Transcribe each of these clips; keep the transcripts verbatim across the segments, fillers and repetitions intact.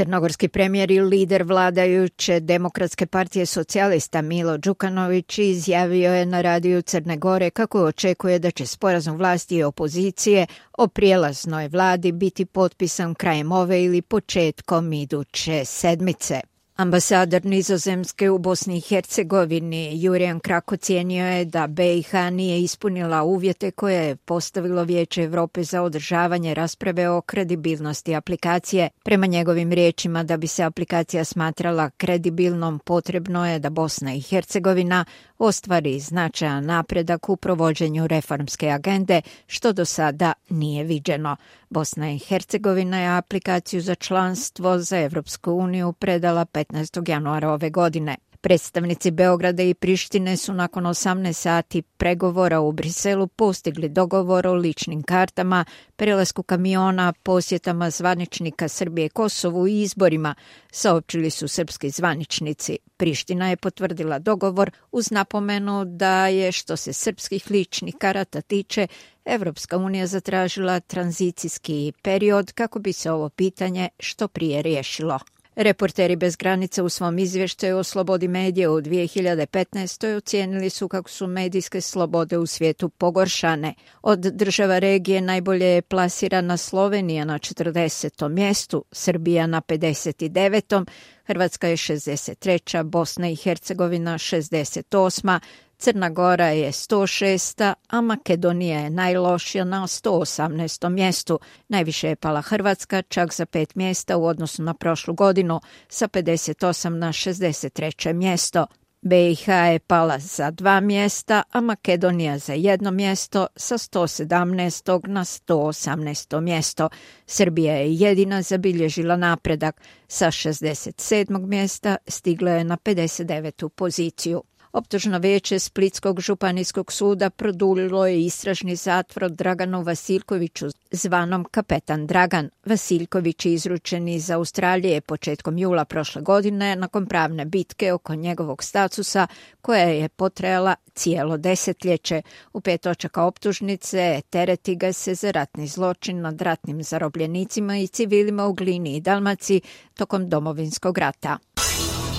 Crnogorski premijer i lider vladajuće Demokratske partije socijalista Milo Đukanović izjavio je na radiju Crne Gore kako očekuje da će sporazum vlasti i opozicije o prijelaznoj vladi biti potpisan krajem ove ili početkom iduće sedmice. Ambasador Nizozemske u Bosni i Hercegovini Jurijan Krak ocijenio je da B i H nije ispunila uvjete koje je postavilo Vijeće Europe za održavanje rasprave o kredibilnosti aplikacije. Prema njegovim riječima, da bi se aplikacija smatrala kredibilnom, potrebno je da Bosna i Hercegovina ostvari značajan napredak u provođenju reformske agende, što do sada nije viđeno. Bosna i Hercegovina je aplikaciju za članstvo za Evropsku uniju predala petnaestog januara ove godine. Predstavnici Beograda i Prištine su nakon osamnaest sati pregovora u Briselu postigli dogovor o ličnim kartama, prelasku kamiona, posjetama zvaničnika Srbije Kosovu i izborima, saopćili su srpski zvaničnici. Priština je potvrdila dogovor uz napomenu da je, što se srpskih ličnih karata tiče, Evropska unija zatražila tranzicijski period kako bi se ovo pitanje što prije riješilo. Reporteri bez granica u svom izvještaju o slobodi medija u dvije hiljade petnaestoj ocijenili su kako su medijske slobode u svijetu pogoršane. Od država regije najbolje je plasirana Slovenija na četrdesetom mjestu, Srbija na pedeset devetom, Hrvatska je šezdeset treća, Bosna i Hercegovina šezdeset osma, Crna Gora je sto šesta, a Makedonija je najlošija na sto osamnaestom mjestu. Najviše je pala Hrvatska, čak za pet mjesta u odnosu na prošlu godinu, sa pedeset osam na šezdeset treće mjesto. B i H je pala za dva mjesta, a Makedonija za jedno mjesto, sa sto sedamnaestog na sto osamnaesto mjesto. Srbija je jedina zabilježila napredak. Sa šezdeset sedmog mjesta stigla je na pedeset devetu poziciju. Optužno vijeće Splitskog županijskog suda produljilo je istražni zatvor Draganu Vasiljkoviću, zvanom Kapetan Dragan. Vasiljković je izručen iz Australije početkom jula prošle godine nakon pravne bitke oko njegovog statusa koja je potrajala cijelo desetljeće. U pet točaka optužnice tereti ga se za ratni zločin nad ratnim zarobljenicima i civilima u Glini i Dalmaciji tokom Domovinskog rata.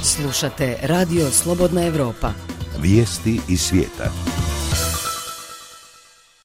Slušate Radio Slobodna Evropa. Vijesti iz svijeta.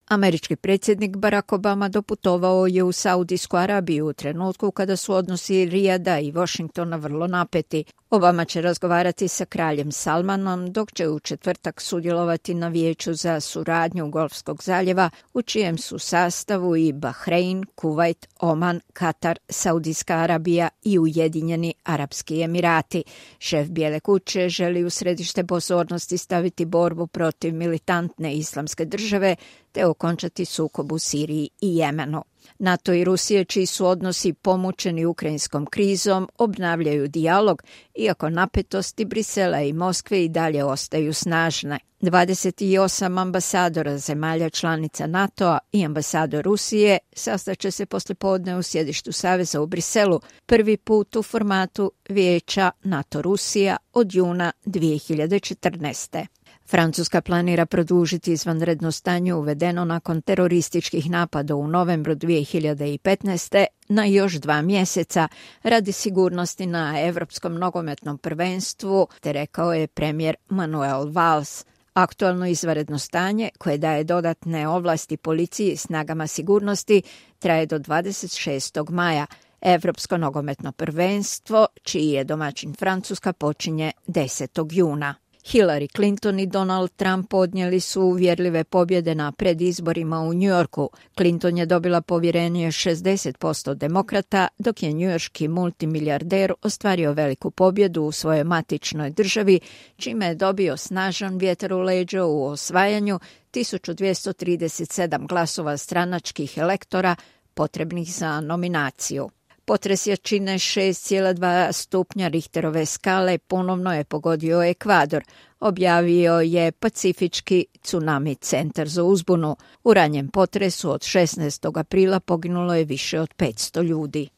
Američki predsjednik Barack Obama doputovao je u Saudijsku Arabiju u trenutku kada su odnosi Rijada i Washingtona vrlo napeti. Obama će razgovarati sa kraljem Salmanom, dok će u četvrtak sudjelovati na vijeću za suradnju Golfskog zaljeva, u čijem su sastavu i Bahrein, Kuvajt, Oman, Katar, Saudijska Arabija i Ujedinjeni Arapski Emirati. Šef Bijele kuće želi u središte pozornosti staviti borbu protiv militantne islamske države te okončati sukob u Siriji i Jemenu. NATO i Rusije, čiji su odnosi pomučeni ukrajinskom krizom, obnavljaju dijalog, iako napetosti Brisela i Moskve i dalje ostaju snažne. dvadeset osam ambasadora zemalja članica NATO-a i ambasador Rusije sastaće se poslijepodne u sjedištu Saveza u Briselu, prvi put u formatu Vijeća NATO-Rusija od juna dvije hiljade četrnaeste. Francuska planira produžiti izvanredno stanje uvedeno nakon terorističkih napada u novembru dvije hiljade petnaeste na još dva mjeseca radi sigurnosti na Evropskom nogometnom prvenstvu, te rekao je premijer Manuel Valls. Aktualno izvanredno stanje, koje daje dodatne ovlasti policiji i snagama sigurnosti, traje do dvadeset šestog maja. Evropsko nogometno prvenstvo, čiji je domaćin Francuska, počinje desetog juna. Hillary Clinton i Donald Trump podnijeli su uvjerljive pobjede na predizborima u New Yorku. Clinton je dobila povjerenje šezdeset posto demokrata, dok je njujorški multimilijarder ostvario veliku pobjedu u svojoj matičnoj državi, čime je dobio snažan vjetar u leđa u osvajanju tisuću dvjesto trideset sedam glasova stranačkih elektora potrebnih za nominaciju. Potres jačine šest zarez dva stupnja Richterove skale ponovno je pogodio Ekvador, objavio je Pacifički tsunami centar za uzbunu. U ranjem potresu od šesnaestog aprila poginulo je više od petsto ljudi.